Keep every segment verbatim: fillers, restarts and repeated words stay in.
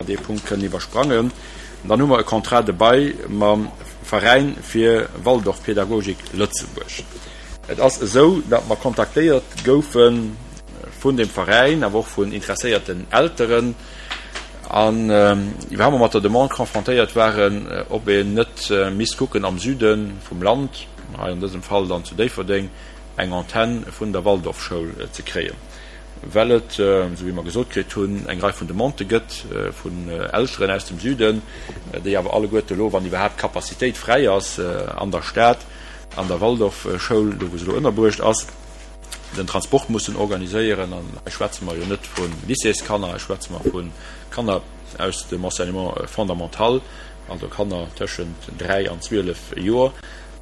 mer dee Punkt kënnen iwwersprangen. Dann hu mer e Contrat de bail mam Veräin fir Waldorfpädagogik Lëtzebuerg. Et ass esou, datt mer kontaktéiert goufe vun deem Veräin, awer och vun interesséierten Elteren, an iwwerhaapt mer mat der Demande confrontéiert waren, ob een net misst kucken am Süde vum Land, hei an dësem Fall dann zu Déifferdeng, eng Antenn vun der Waldorfschoul ze kréien, well et, esou wéi mer gesot kritt hunn, eng Rei vun Demandë gëtt vun Elteren aus dem Süden, déi awer alleguerte elo, wann iwwerhaapt Capacitéit fräi ass an der Stad, an der Waldorfschoul, do wou se elo ënnerbruecht ass, den Transport mussen organiséieren. An hei schwätze mer jo net vu Lycéeskanner, hei schwätze mer vu Kanner aus dem Enseignement fondamental, also Kanner tëschent dräi an zwielef Joer.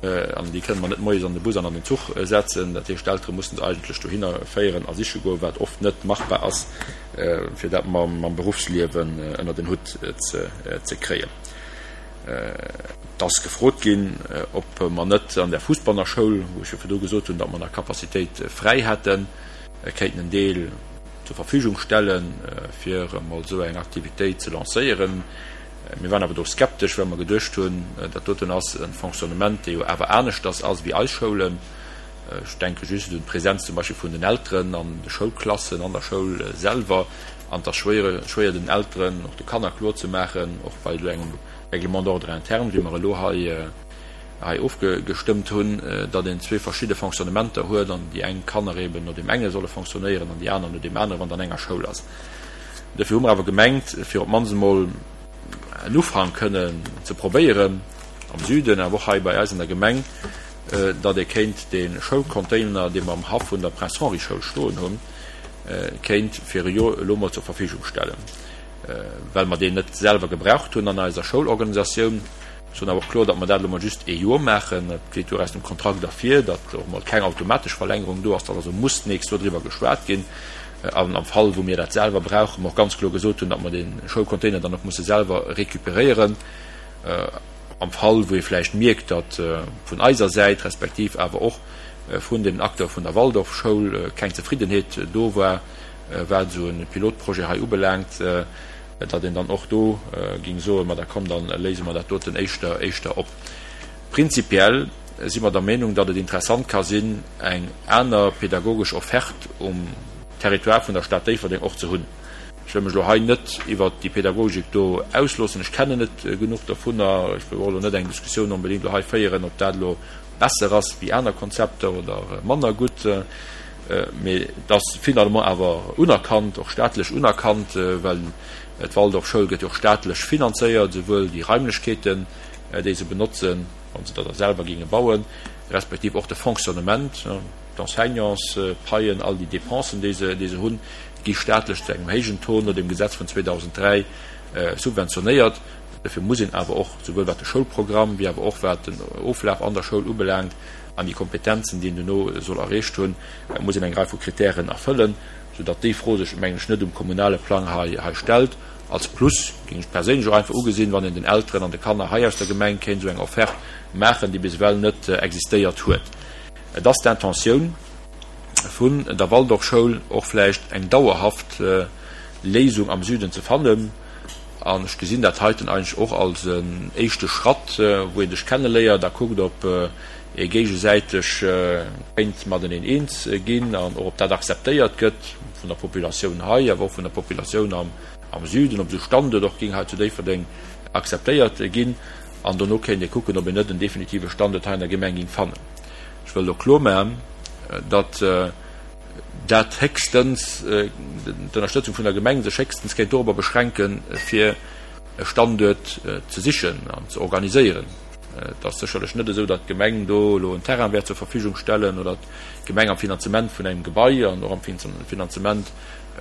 An déi kënne mer net moies an de Bus an an den Zuch setzen. Dat heescht, d'Eltere mussen se eigentlech dohinner féieren a siche goen, wat oft net machbar ass, fir dat mam Beruffsliewen ënnert en Hutt ze kréien. Et ass gefrot ginn, ob mer net an der Fuussbanner Schoul, wou ech jo virdru gesot hunn, datt mer nach Capacitéit fräi hätten, kéinten en Deel zur Verfügung stellen, fir emol esou eng Aktivitéit ze lancéieren. Mir waren awer do skeptesch, well mer geduecht hunn, dat doten ass e Fonctionnement, dee jo awer aneschters ass wéi eis Schoulen. Ech denke just un d'Presenz zum Beispill vun den Elteren an de Schoulklassen, an der Schoul selwer. An et ass schwéier, schwéier den Elteren, och de Kanner kloerzemaachen, och bei esou engem Règlement d'ordre interne, wéi mer elo hei hei ofgestëmmt hunn, datt een zwee verschidde Fonctionnementer huet an déi eng Kanner eben no deem enge solle fonctionnéieren an déi aner no deem aneren, wann et an enger Schoul ass. Dofir hu mer awer gemengt, fir op d'mannst emol en Ufank kënnen ze probéieren am Süden, awer och hei bei eis an der Gemeng, datt ee kéint dee Schoulcontainer, dee mer am Haff vun der Prince Henri Schoul stoen hunn, kéint fir e Joer elo mol zur Verfügung stellen, well mer deen net selwer gebraucht hunn an eiser Schoulorganisatioun. Ech soen awer och kloer, datt mer dat elo mol just ee Joer maachen. Et geet jo och aus dem Kontrakt ervir, datt och mol keng automatesch Verlängerung do ass, datt also muss d'nächst Joer driwwer geschwat ginn. An am Fall, wou mir dat selwer brauchen, mer och ganz kloer gesot hunn, datt mer dee Schoulcontainer dann och musse selwer recuperéieren. Am Fall, wou ee vläicht mierkt, datt vun eiser Säit respektiv awer och vun deenen Acteure vun der Waldorfschoul keng Zefriddenheet do war, wat esou e Pilotprojet hei ubelaangt, datt een dann och do géing soen, ma da komm, da léise mer dat doten éischter éischter op. Prinzipiell si mer der Meenung, datt et interessant ka sinn, eng aner pedagogesch Offerte um Territoire vun der Stad Déifferdeng och ze hunn. Ech wëll mech elo hei net iwwert déi Pädagogik do ausloossen, ech kennen net genuch dovunner. Ech wëll och elo net eng Diskussioun onbedéngt elo hei féieren, ob dat elo besser ass wéi aner Konzepter oder manner gutt. Mee et ass finalement awer unerkannt, och staatlech unerkannt, well d'Waldorfschoul gëtt jo och staatlech finanzéiert, esouwuel déi Raimlechkeeten, déi se benotzen, wa se der da selwer géinge bauen, respektiv och de Fonctionnement, d'Enseignantspaien, all déi Dépensen, déi se, déi se hunn, gi staatlech zu engem héijen Taux no dem Gesetz vun zweedausenddräi subventionéiert. Dofir muss een awer och, souwuel wat de Schoulprogramm wéi awer och wat den Oflaf an der Schoul ubelaangt an déi Kompetenzen, déi een duerno soll erreecht hunn, muss een eng Rei vu Kritären erfëllen, soudatt déi Fro sech, mengen ech, net um kommunale Plang hei hei stellt. Als Plus géing ech perséinlech och einfach ugesinn, wann een den Elteren an de Kanner hei aus der Gemeng kéint esou eng Offerte maachen, déi bis ewell net existéiert huet. Et ass d'Intentioun vun der Waldorfschoul, och vläicht eng dauerhaft Léisung am Süden ze fannen. An ech gesinn dat heiten eigentlech och als en éischte Schratt, wou ee sech kenneléiert a kuckt, ob ee géigesäiteg kéint mateneen eens ginn an och ob dat akzeptéiert gëtt vun der Populatioun hei, awer och vun der Populatioun am Süden, ob esou Standuert och géing hei zu Déifferdeng akzeptéiert ginn. An dono kéint ee kucken, ob een net en definitive Standuert hei an der Gemeng géing fannen. Ech wëll och kloermaachen, datt dat héchstens, d'Ënnerstëtzung vun der Gemeng sech héchstens kéint dorobber beschränken, fir e Standuert ze sichen an ze organiséieren. Et ass sécherlech net esou, datt d'Gemeng do elo en Terrain wäert zur Verfügung stellen oder d'Gemeng am Finanzement vun engem Gebai an och am Finanzement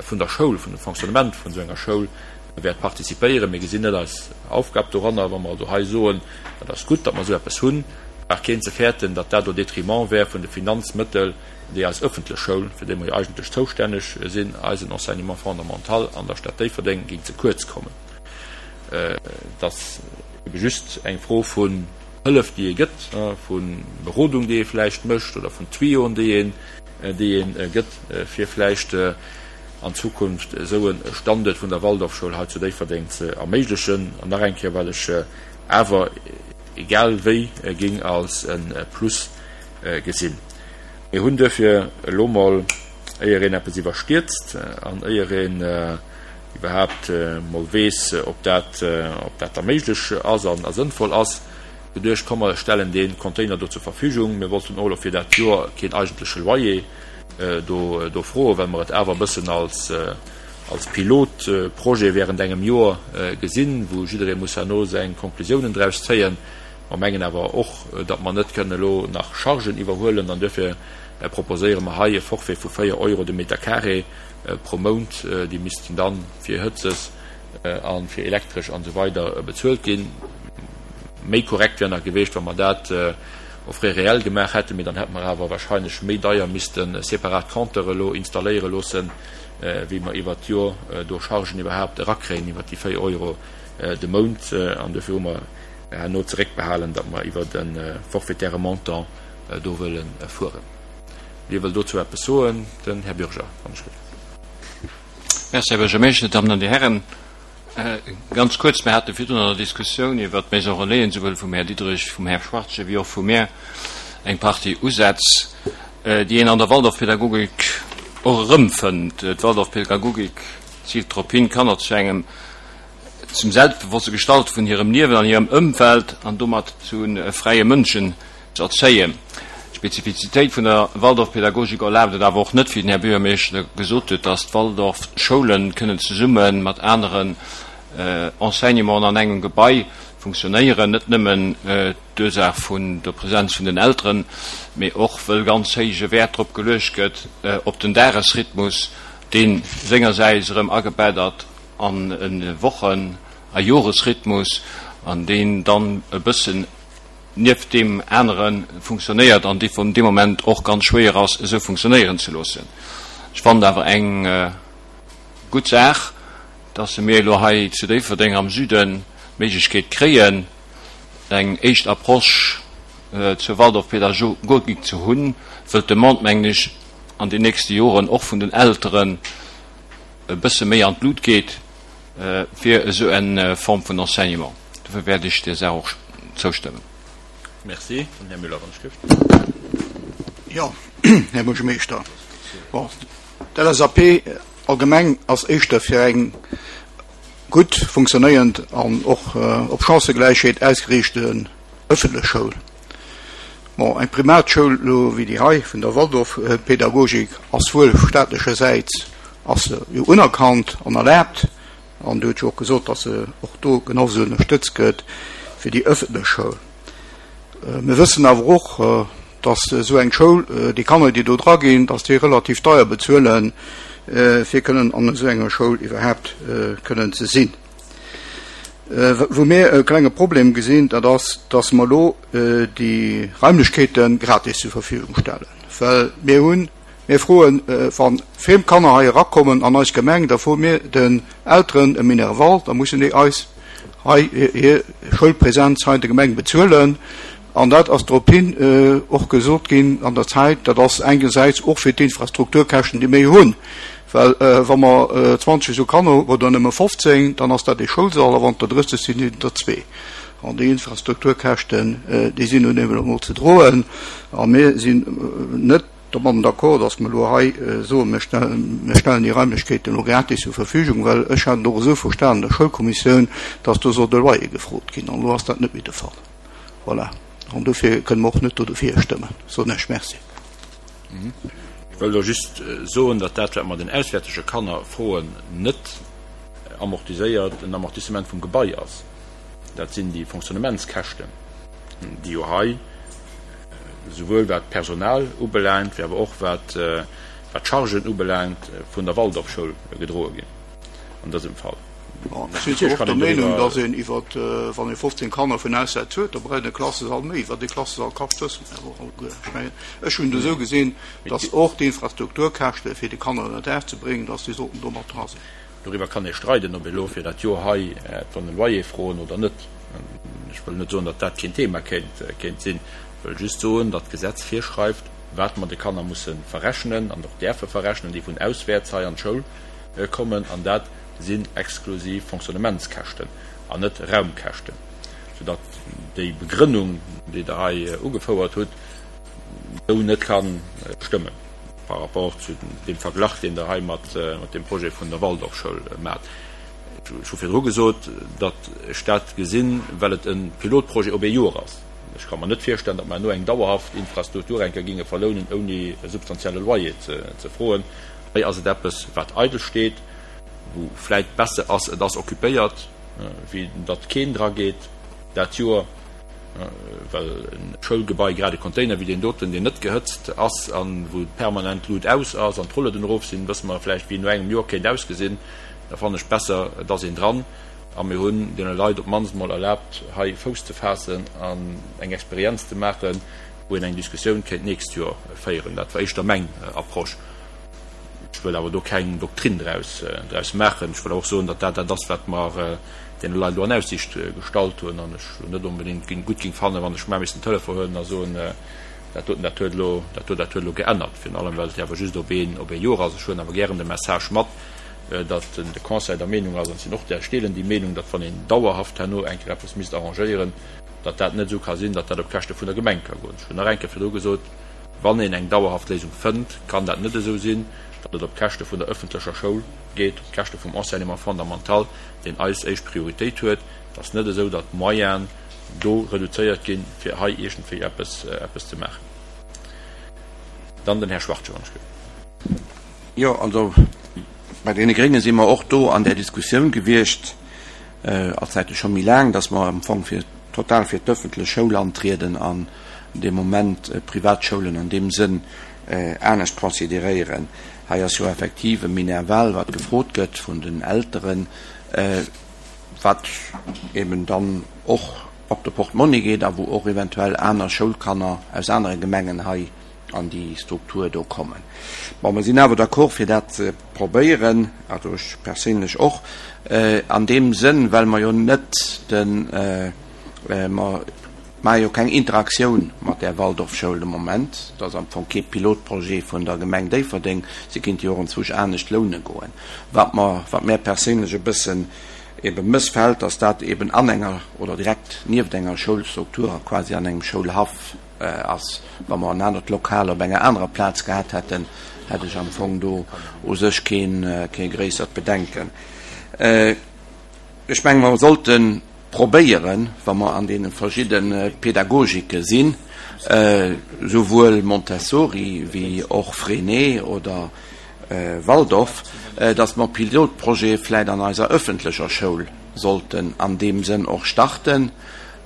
vun der Schoul, vun dem Fonctionnement vun esou enger Schoul wäert participéieren. Mir gesinn net eis Aufgab doranner, wa mer also hei soen, dat ass gutt, datt mer esou eppes hunn, brauch keen ze fäerten, datt dat au détriment wär vun de Finanzmëttel, déi eis ëffentlech Schoul, fir déi mer jo eigentlech zoustänneg sinn, eisen Enseignement fondamental an der Stad Déifferdeng, géing ze kuerz kommen. Et ass ebe just eng Fro vun Hëllef, déi ee gëtt, vu Berodung, déi ee vläicht mécht, oder vun Tuyoen, déi een, déi ee gëtt, fir vläicht an Zukunft esou e Standuert vun der Waldorfschoul hei zu Déifferdeng ze erméiglechen. An nach eng Kéier, wat ech awer egal wéi géing als e Plus gesinn. Mir hunn duerfir elo mol, éier een eppes iwwerstierzt an éier een iwwerhaapt mol weess, ob dat, ob dat da méiglech ass a sënnvoll ass, geduecht, komm mer stellen dee Container do zur Verfügung. Mir wollten och elo fir dat Joer keen eigentleche Loyer do, do froen, well mer et awer e bëssen als, als Pilotprojet während engem Joer gesinn, wou jidderee muss herno seng Konklusiounen draus zéien. Mer mengen awer och, datt mer net kënnen elo nach Chargen iwwerhuelen an duerfir proposéiere mer hei e Forfait vu véier Euro de Meter carré pro Mount. Déi missten da fir Hëtzes a fir Elektresch an esou weider bezuelt ginn. Méi korrekt wär nach gewiescht, wa mer dat au frais réel gemaach hätten, mee dann hätte mer awer wahrscheinlech méi deier misste separat Compteure elo installéiere loossen, wéi mer iwwert d'Joer do Chargen iwwerhaapt erakréien iwwert déi véier Euro de Mount. An duerfir hu mer herno zeréckbehalen, datt mer iwwert e forfaitaire Montant do wëlle fueren. Wie wëll dozou eppes soen? Den Här Bürger, wann ech gelift. Merci, Här Buergermeeschter, Dammen an Dir Herren. Ganz kuerz, Mir hate virdrun an der Diskussioun iwwert d'Maison Relaisen, souwuel vum Här Diderich, vum Här Schwachtgen wéi och vu mir, eng Partie Usätz, déi een an der Waldorfpädagogik och erëmfënnt. D'Waldorfpädagogik ziilt drop hin, d'Kanner zu engem, zum selbstbewosste Gestalte vun hirem Liewen an hirem Ëmfeld an domat zu fräie Mënschen ze erzéien. D'Spezifizitéit vun der Waldorfpädagogik erlaabt et awer och net, wéi den Här Buergermeeschter gesot huet, dass d'Waldorfschoulen kënnen zesumme mat aneren Enseignementen an engem Gebai funktionéieren, net nëmmen d'Ursaach vun der Präsenz vun den Elteren, mee och wëll ganz héije Wäert drop geluecht gëtt op den Dagesrhythmus, dee sengersäits erëm agebett ass an e Wochen a Joresrhythmus an deen dann e bëssen nieft deem anere funktionéiert an dee vun deem Moment och ganz schwéier ass, esou funktionéieren ze loossen. Ech fannen awer eng gutt Saach, dass mir elo hei zu Déifferdeng am Süden d'Méiglechkeet kréien, eng éischt Approche zur Waldorfpädagogik ze hunn, wëll d'Demande, mengen ech, an den nächste Joren och vun den Elteren e bësse méi an d'Lut geet fir esou eng Form vun Enseignement. Dofir wäert ech där Saach och zoustëmmen. Merci. Den Här Müller, wann ech dierft. Jo, Här Buergermeeschter, bon, d'LSAP allgemeng ass éischter fir eng gutt funktionéierend an och op Chancëgläichheet ausgeriichte ëffentlech Schoul. Bon, eng Primatschoul elo wéi déi hei vun der Waldorfpädagogik ass wuel staatlechersäits ass se jo unerkannt an erlaabt, an Dir hutt jo och gesot, datt se och do genau esou ënnerstëtzt gëtt wéi déi ëffentlech Schoul. Mir wëssen awer och, datt esou eng Schoul, déi Kanner, déi do dra ginn, datt déi relativ deier bezuelen, fir kënnen an esou enger Schoul iwwerhaapt kënnen ze sinn. Wou mir e klenge Problem gesinn, dat ass, datt mer elo déi Raimlechkeete gratis zur Verfügung stellen, well mir hunn, mir froen, wa friem Kanner hei erakommen an eis Gemeng, da froe mir den Elteren e Minerval, da mussen déi eis hei hir Schoulpräsenz hei an der Gemeng bezuelen. An dat ass drop hin och gesot ginn an der Zäit, dat ass engersäits och fir d'Infrastrukturkäschten, déi mir hunn, well wa mer zwanzeg esou Kanner hunn oder nëmme fofzéng, dann ass dat ee Schoulsall, a wann et der drësseg sinn, sinn et der zwee. An déi Infrastrukturkäschten, déi sinn nun eemol emol ze droen. A mir sinn net domadden d'accord, dass mer elo hei soen, mir stellen déi Raimlechkeeten elo gratis zur Verfügung, well ech hat et och esou verstanen an der Schoulkommissioun, dass do soll de Loyer gefrot ginn. An elo ass dat net méi de Fall. Voilà. An dofir kënne mer och net do dofir stëmmen, soen ech. Merci. Ech wëll do just soen, datt dat, wat mer den auswäertege Kanner froen, net amortiséiert, en Amortissement vum Gebai ass. Dat sinn déi Fonctionnementskäschten, déi jo hei souwuel wat d'Personal ubelaangt, wéi awer och wat d'Chargen ubelaangt, vun der Waldorfschoul gedroe ginn an dësem Fall. Ech sinn zwar och der Meenung, dass een iwwer, wann ee fofzéng Kanner vun Auswäerts huet, da brauch een e Klassesall méi. Wat ee Klassesall kascht, wësse mer awer och alleguer. Ech mengen, ech hunn et esou gesinn, dass och d'Infrastrukturkäschte fir déi Kanner ënner Daach ze bréngen, dass déi sollten do mat dra sinn. Doriwwer kann ee streiden, ob ee elo fir dat Joer hei hätt e Loyer froen oder net. Ech wëll net soen, datt dat keen Thema kéint sinn. Ech wëll just soen, datt d'Gesetz virschreift, wat mer de Kanner musse verrechnen an och däerfe verrechnen, déi vun auswäerts hei an d'Schoul kommen, an dat sinn exklusiv Fonctionnementskäschten an net Raumkäschten, soudatt déi Begrënnung, déi Der hei ugefouert hutt, esou net ka stëmmen par rapport zu deem Verglach, deen Der hei mat deem Projet vun der Waldorfschoul maacht. Ech hu virdru gesot, datt ech dat gesinn, well et e Pilotprojet op ee Joer ass. Ech ka mer net virstellen, datt mer herno eng dauerhaft Infrastruktur eng Kéier ginge verlounen, ouni e substantielle Loyer ze froen. Hei ass et eppes, wat eidel steet, wou vläit besser ass, et ass occupéiert, wéi datt keen dra geet dat Joer, well e Schoulgebai, grad e Container wéi deen doten, deen net gehëtzt ass a wou permanent d'Lut aus ass an d'Rulloden erof sinn, wësse mer vläicht, wéi en no engem Joer kéint ausgesinn. Da fannen ech besser, et ass een dran a mir hunn deene Leit op d'mannst emol erlaabt, hei Fouss ze faassen an eng Experienz ze maachen, wou een eng Diskussioun kéint d'nächst Joer féieren. Dat war éischter meng Approche. Ech wëll awer do keng Doktrinn draus draus maachen. Ech wëll awer och soen, datt dat dat ass, wat mer deene Leit elo an Aussicht gestallt hunn an ech net onbedéngt gutt géing fannen, wann ech mar misst den Telefon huelen a soen, dat doten, dat huet elo, dat do, dat huet elo geännert. Virun allem, well et jo awer just op een, op ee Joer ass. Ech huelen awer gären de Message mat, datt de Conseil der Meenung ass, an ech sinn och där, ech deelen déi Meenung, datt wann een dauerhaft herno eng Kéier eppes misst arrangéieren, datt dat net esou ka sinn, datt dat op Käschte vun der Gemeng ka goen. Ech hunn nach eng Kéier virdru gesot, wann een eng dauerhaft Léisung fënnt, kann dat net esou sinn, datt et op Käschte vun der öffentlecher Schoul geet, op Käschte vum Enseignement fondamental, deen eis éischt Prioritéit huet. Et ass net esou, datt d'Moyenen do reduzéiert ginn, fir hei iergendwéi eppes, eppes ze maachen. Dann den Här Schwartje, wann ech gëtt. Jo, also bei deene Grénge si mer och do an där Diskussioun gewiescht, allzäite scho méi laang, datt mer am Fong fir total fir d'öffentlech Schoul antrieden an dee Moment d'Privatschoulen an deem Sënn anescht consideréieren. Hei ass jo effektiv e Minerval, wat gefrot gëtt vun den Elteren, wat eben dann och op de Portmonni geet a wou och eventuell aner Schoulkanner aus anere Gemengen hei an déi Struktur do kommen. Bon, mer sinn awer d'accord, fir dat ze probéieren, also ech perséinlech och, an deem Sënn, well mer jo net den, mer maache jo keng Interaktioun mat där Waldorfschoul de Moment, et ass am Fong kee Pilotprojet vun der Gemeng Déifferdeng, se kéinte jo och enzwousch anescht loune goen. Wat mer, wat mär perséinlech e bëssen ebe mëssfält, dass dat eben an enger oder direkt nieft enger Schoulstruktur a quasi an engem Schoulhaff ass. Wa mer en anert Lokal op enger anerer Plaz gehat hätten, hätt ech am Fong do u sech kee gréissert Bedenken. Ech menge mer sollte probéieren, wa mer an deene verschidde Pädagogike sinn, souwuel Montessori wéi och Freinet oder Waldorf, datt mer Pilotprojete vläicht an eiser öffentlecher Schoul sollten an deem Sënn och starten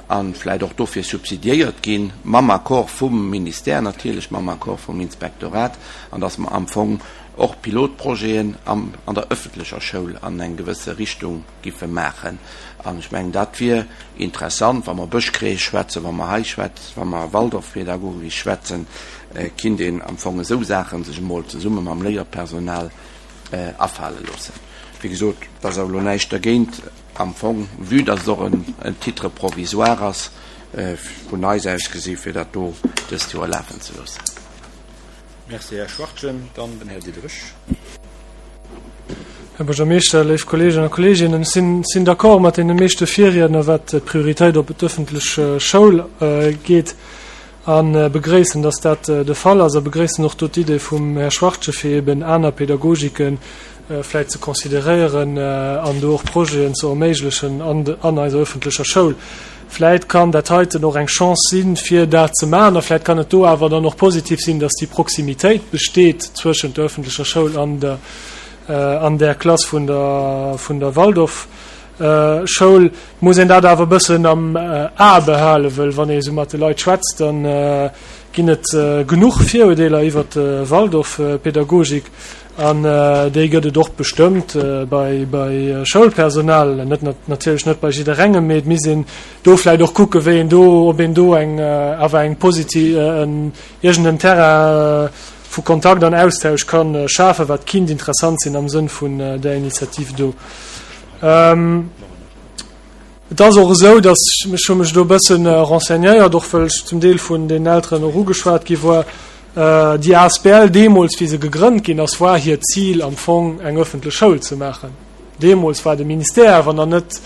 a vläicht och dofir subsidiéiert ginn, mam Accord vum Ministère natierlech, mam Accord vum Inspektorat, an datt mer am Fong och Pilotprojeten an der öffentlecher Schoul an eng gewësse Richtung giffe maachen. An ech mengen, dat wier interessant, wa mer Bëschkrees schwätzen, wa mer hei schwätzen, wa mer Waldorfpädagogik schwätzen, kinnt een am Fong esou Saache sech emol zesumme mam Léierpersonal afale loossen. Wéi gesot, et ass awer elo näischt dergéint am Fong, vue dass et och en Titre provisoire ass, vun eis aus gesi fir dat do dëst Joer lafen ze loossen. Merci, Här Schwachtgen. Dann den Här Diderich. Här Buergermeeschter, léif Kolleegen a Kolleeginnen, ech sinn, sinn d'accord mat deene meeschte Virriedner, wat d'Prioritéit op d'öffentlech Schoul geet, a begréissen, dass dat de Fall ass, a begréissen och do d'Idee vum Här Schwachtgen, fir eben aner Pädagogike vläicht ze consideréieren an do och Projeten ze erméiglechen an, an eiser öffentlecher Schoul. Vläit kann dat heiten och eng Chance sinn, fir dat ze maachen, a vläit kann et do awer dann och positiv sinn, dass déi Proximitéit besteet zwëschent der öffentlecher Schoul an der, an där Klass vun der, vun der Waldorfschoul. Et muss een dat awer e bëssen am A behalen, wëll wann ee esou mat de Leit schwätzt, da ginn et genuch Virurdeeler iwwert d'Waldorfpädagogik. An déi gëtt et och bestëmmt bei bei Schoulpersonal, net natierlech net bei jidderengem, mee et misst een do vläicht och kucken, wéi een do, ob een do eng awer eng positiv, en iergend en Terrain vu Kontakt an Austausch ka schafen, wat kinnt interessant sinn am Sënn vun där Initiativ do. Et ass och esou, dass, ech hu mech do e bësse renseignéiert, och wëll ech zum Deel vun den Elteren och ugeschwat gi war, Déi asbl deemools, wéi se gegrënnt ginn ass, war hiert Zil am Fong eng öffentlech Schoul ze maachen. Deemools war de Ministère awer nach net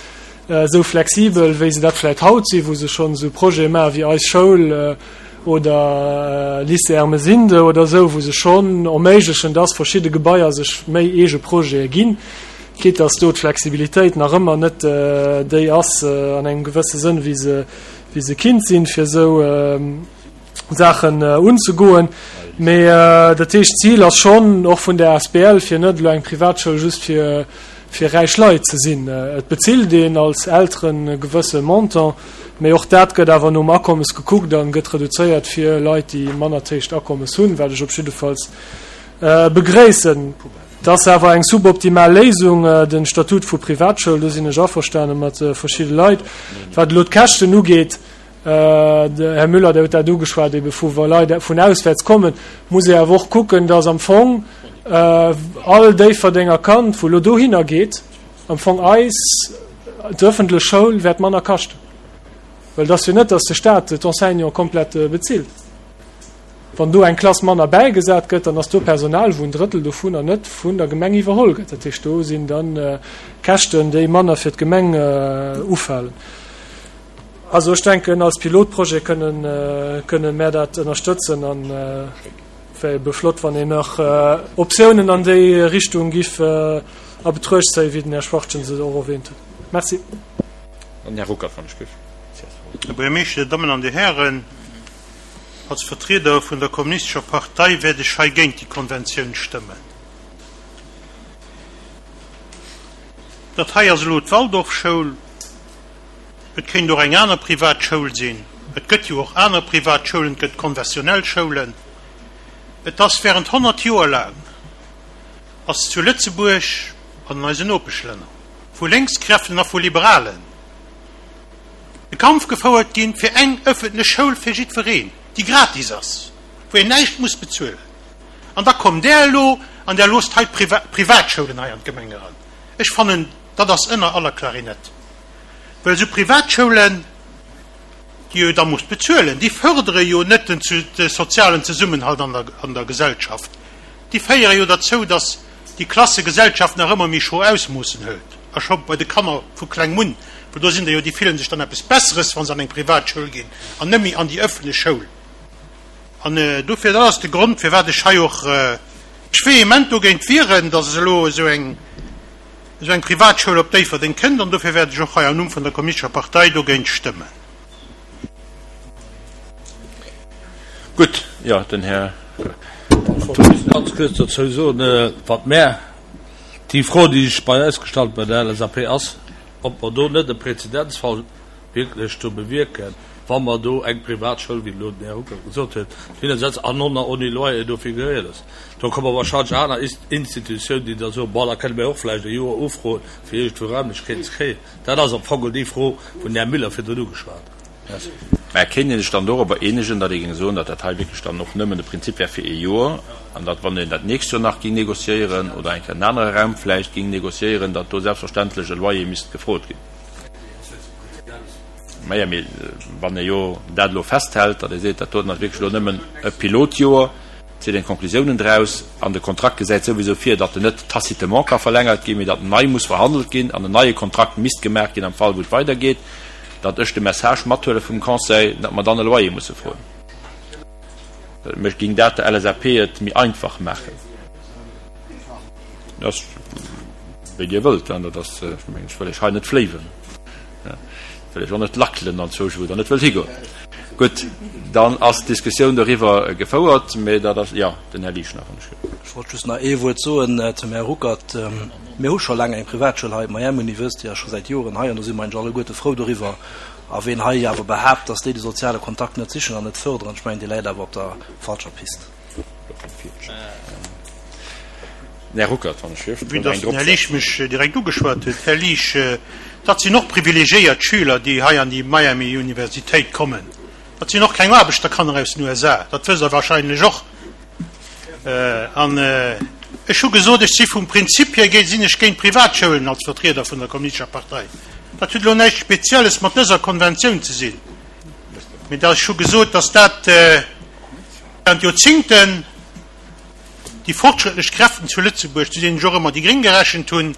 esou flexibel, wéi se dat vläicht haut sinn, wou se schonn esou Projete maache wéi Eis Schoul oder Lycée Ermesinde oder esou, wou se schonn erméiglechen, dass verschidde Gebaier sech méi eege Projete ginn, quitte dass do d'Flexibilitéit nach ëmmer net déi ass an engem gewësse Sënn, wéi se, wéi se kinnt sinn, fir esou Saachen unzegoen. Mee dat heescht, d'Zil ass schonn och vun der asbl, fir net elo eng Privatschoul just fir, fir räich Leit ze sinn. Et bezilt een als Elteren e gewësse Montant, mee och dat gëtt awer nom Akommes gekuckt an gëtt reduzéiert fir Leit, déi manner héicht Akommes hunn, wat ech op jiddefalls begréissen. Et ass awer eng suboptimal Léisung, de Statut vu Privatschoul, do sinn ech averstane mat verschidde Leit. Wat elo d'Käschten ugeet, Här Müller, Der hutt dat ugeschwat, ebe vu wa Leit vun auswäerts kommen, muss ee awer och kucken, dass am Fong all Déifferdenger Kand, wou elo dohinner geet, am Fong eis d'öffentlech Schoul wäert manner kaschten. Well et ass jo net, dass de Stat d'Enseignante komplett bezilt. Wann do eng Klass manner bäigesat gëtt, dann ass do Personal, wou en Drëttel dovunner net vun der Gemeng iwwerholl gëtt. Dat heescht, do sinn da Käschten, déi manner fir d'Gemeng ufalen. Also ech denken, als Pilotprojet kënnen, kënnen mär dat ënnerstëtzen an wär ebe flott, wann een nach Optiounen an déi Richtung giff a Betruecht zéien, wéi den Här Schwachtgen se och erwähnt huet. Merci. An den Här Ruckert, wann ech giff. Här Buergermeeschter, Dir Dammen an Dir Hären, als Vertrieder vun der Kommunistescher Partei wäert ech hei géint déi Konventioun stëmmen. Dat hei ass elo d'Waldorfschoul. Et kéint och eng aner privat Schoul sinn. Et gëtt jo och aner privat Schoulen, et gëtt konfessionell Schoulen. Et ass während honnert Joer laang ass zu Lëtzebuerg an an eisen Nopeschlänner vu Lénkskräften a vu Liberalen de Kampf gefouert ginn fir eng öffentlech Schoul fir jiddwereen, déi gratis ass, wou een näischt muss bezuelen. An da kommt Der elo an Der loosst hei d'Privatschoulen hei an d'Gemeng eran. Ech fannen, dat ass ënner aller Klarinett. Well esou Privatschoulen, déi jo da muss bezuelen, déi fördere jo net den de sozialen Zesummenhalt an der, an der Gesellschaft. Déi féiere jo derzou, datt déi Klassegesellschaft nach ëmmer méi schro Ausmoossen hëlt, a scho bei de Kanner vu klengem un, well do sinn der jo, déi fillen sech dann eppes Besseres, wa se an eng Privatschoul ginn an net méi an déi ëffentlech Schoul. An dofir, dat ass de Grond, firwat ech hei och mech vehement dogéint wieren, datt elo esou eng, esou eng Privatschoul op Déifferdeng kënnt, an dofir wäert ech och hei am Numm vun der Kommunistescher Partei dogéint stëmmen. Gutt, jo, den Här. Ech wollt just ganz kuerz dozou soen, wat mär, déi Fro, déi sech bei eis gestallt bei der L S A P ass, ob mer do net e Präzedenzfall wierklech do bewierken, wa mer do eng Privatschoul, wéi elo den Här Ruckert gesot huet, hinnersetzen an och nach ouni Loyer dofir geréiert ass. Do komme wahrscheinlech aner Institutiounen, déi da soen, Bon, da kënne mir och vläicht e Joer ufroen, fir iergendwou Raimlechkeeten ze kréien. Dat ass am Fong déi Fro, wou den Här Müller virdrun ugeschwat huet. Merci. Mä kéint ee sech dann dorobber eenegen, datt ee géing soen, datt dat hei wierklech dann och nëmmen de Prinzip wär fir ee Joer an datt, wann een dat nächst Joer nach géing négociéieren oder eng Kéier en anere Raum vläicht géing négociéieren, datt do selbstverständlech e Loyer misst gefrot ginn? Maja, mee wann ee jo dat elo festhält, datt ee seet, dat doten ass wierklech elo nëmmen e Pilotjoer, zitt een d'Konklusiounen draus an de Kontrakt gesäit souwisou vir, datt en net tacitement ka verlängert ginn, mee datt nei muss verhandelt ginn an en neie Kontrakt misst gemaach ginn am Fall wou et weidergeet, datt ech de Message mathuele vum Conseil, datt mer dann e Loyer musse froen. Mech géing dat der L S A P et méi einfach maachen. Dat ass wéi Dir wëllt, dat ass, ech mengen, ech wëll Iech hei net fléiwen. Ech wëll Iech och net lackelen anzwousch, wou Der net wëllt higoen. Gutt, dann ass d'Diskussioun doriwwer gefouert, mä dat ass, jo, den Här Liesch nach, wann ech gëtt. Ech wollt just nach ee Wuert soen zum Här Ruckert. Mir hu scho laang eng Privatschoul hei, d'Miami University ass scho säit Joren hei an do si mer eigentlech alleguerte frou doriwwer. A ween hei awer behaapt, dass déi de soziale Kontakt net sichen an net fërderen, ech mengen, dee läit awer op der falscher Pist. Här Ruckert, wann ech dierft Vue dass den Här Liesch mech direkt ugeschwat huet, Här Liesch, dat sinn och privilegiéiert Schüler, déi hei an déi Miami Universitéit kommen. Dat sinn och keng Aarbechterkanner aus den U S A, dat wësst Der wahrscheinlech och. An ech hu gesot, ech si vum Prinzip hier géint, sinn ech géint Privatschoulen als Vertrieder vun der Kommunistescher Partei. Dat huet elo näischt Spezielles mat dëser Konventioun ze sinn, mee ech hu gesot, dass dat, Während Joerzingten déi fortschrëttlech Kräften zu Lëtzebuerg, zu deenen ech och ëmmer déi Gréng gerechent hunn,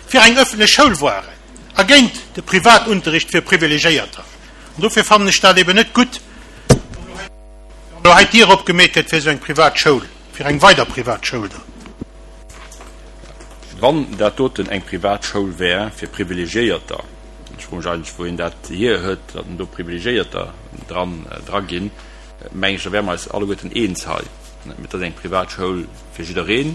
fir eng öffentlech Schoul waren a géint de Privatunterricht fir Privilegéierter. An dofir fannen ech dat eben net gutt, wann elo hei d'Dier opgemeet gëtt fir esou eng privat Schoul, fir eng weider privat Schoul dann. Wann dat doten eng privat Schoul wär fir Privilegiéierter, ech froe mech eigentlech, wou een dat hier huet, datt en do Privilegiéierter dran dra ginn, mengen ech, da wäre mer eis alleguerten eens hei. Mee et ass eng privat Schoul fir jiddereen,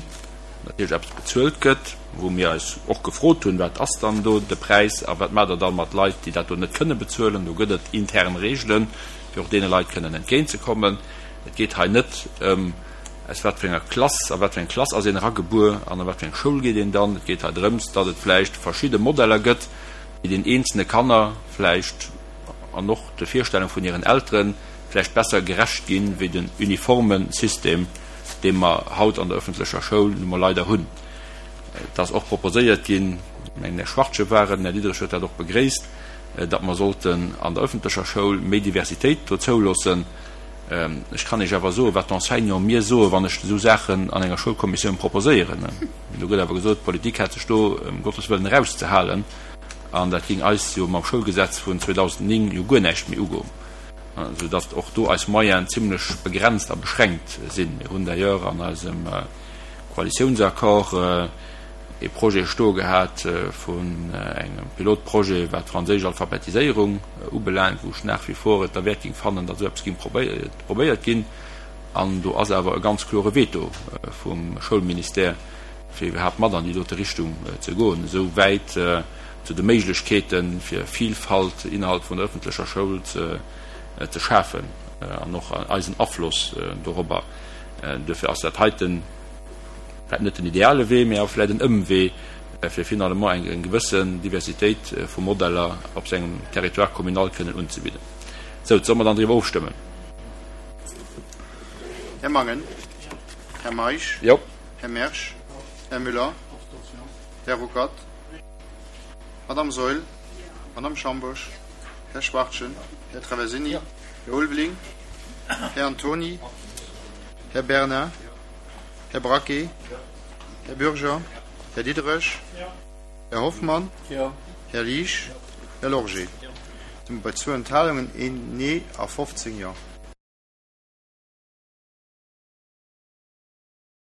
natierlech eppes bezuelt gëtt, wou mir eis och gefrot hunn, wat ass dann do de Präis a wat maacht Der dann mat Leit, déi dat do net kënne bezuelen. Do gëtt et intern Reegelen, fir och deene Leit kënnen entgéintzekommen. Et geet hei net ëm, aus wat fir enger Klass, a wat fir eng Klass ass een eragebuer an a wat fir eng Schoul geet een dann. Et geet hei drëms, datt et vläicht verschidde Modeller gëtt, déi den eenzelne Kanner vläicht an och de Virstellung vun hiren Eltere vläicht besser gerecht ginn, wéi den uniforme System, dee mer haut an der öffentlecher Schoul nu mol leider hunn. Et ass och proposéiert ginn, ech mengen, den Här Schwartje war et, den Här Diderich huet dat och begréisst, datt mer sollten an der öffentlecher Schoul méi Diversitéit do zouloossen. Ech kann Iech awer soen, wat d'Enseignanten mir soen, wann ech esou Saachen an enger Schoulkommissioun proposéieren. Do gëtt awer gesot, d'Politik hätt sech do ëm Gottes Wëllen erauszehalen an dat géing eis jo mam Schoulgesetz vun zweedausendnéng jo guer näischt méi ugoen, soudatt och do eis Moyenen zimlech begrenzt a beschränkt sinn. Mir hunn d'ailleurs an eisem Koalitiounsaccord ee Projet stoe gehat vun engem Pilotprojet, wat d'franséisch Alphabetiséierung ubelaangt, wou ech nach wie vor et derwäert géing fannen, datt esou eppes géing probéiert ginn. An do ass awer e ganz klore Veto vum Schoulministère, fir iwwerhaapt mat an déi dote Richtung ze goen. Esou wäit zu de Méiglechkeeten, fir Vilfalt innerhalb vun der öffentlecher Schoul ze schafen an och eisen Afloss dorobber. Duerfir ass dat heiten vläicht net den ideale Wee, mee awer vläicht en Ëmwee, fir finalement eng gewëssen Diversitéit vu Modeller op sengem Territoire communal kënnen unzebidden. Sou, solle mer dann driwwer ofstëmmen? Här Mangen. Här Meisch. Jo. Här Mersch. Här Müller. Här Ruckert. Madame Saeul. Madame Schambourg. Här Schwachtgen. Här Traversini. Här Ulveling. Här Antony. Här Bernard. Här Braquet. Här Bürger. Här Diderich. Här Hoffmann. Här Liesch. Här Lorgé. Bei zwou Enthalungen, een Nee a fofzéng Jo.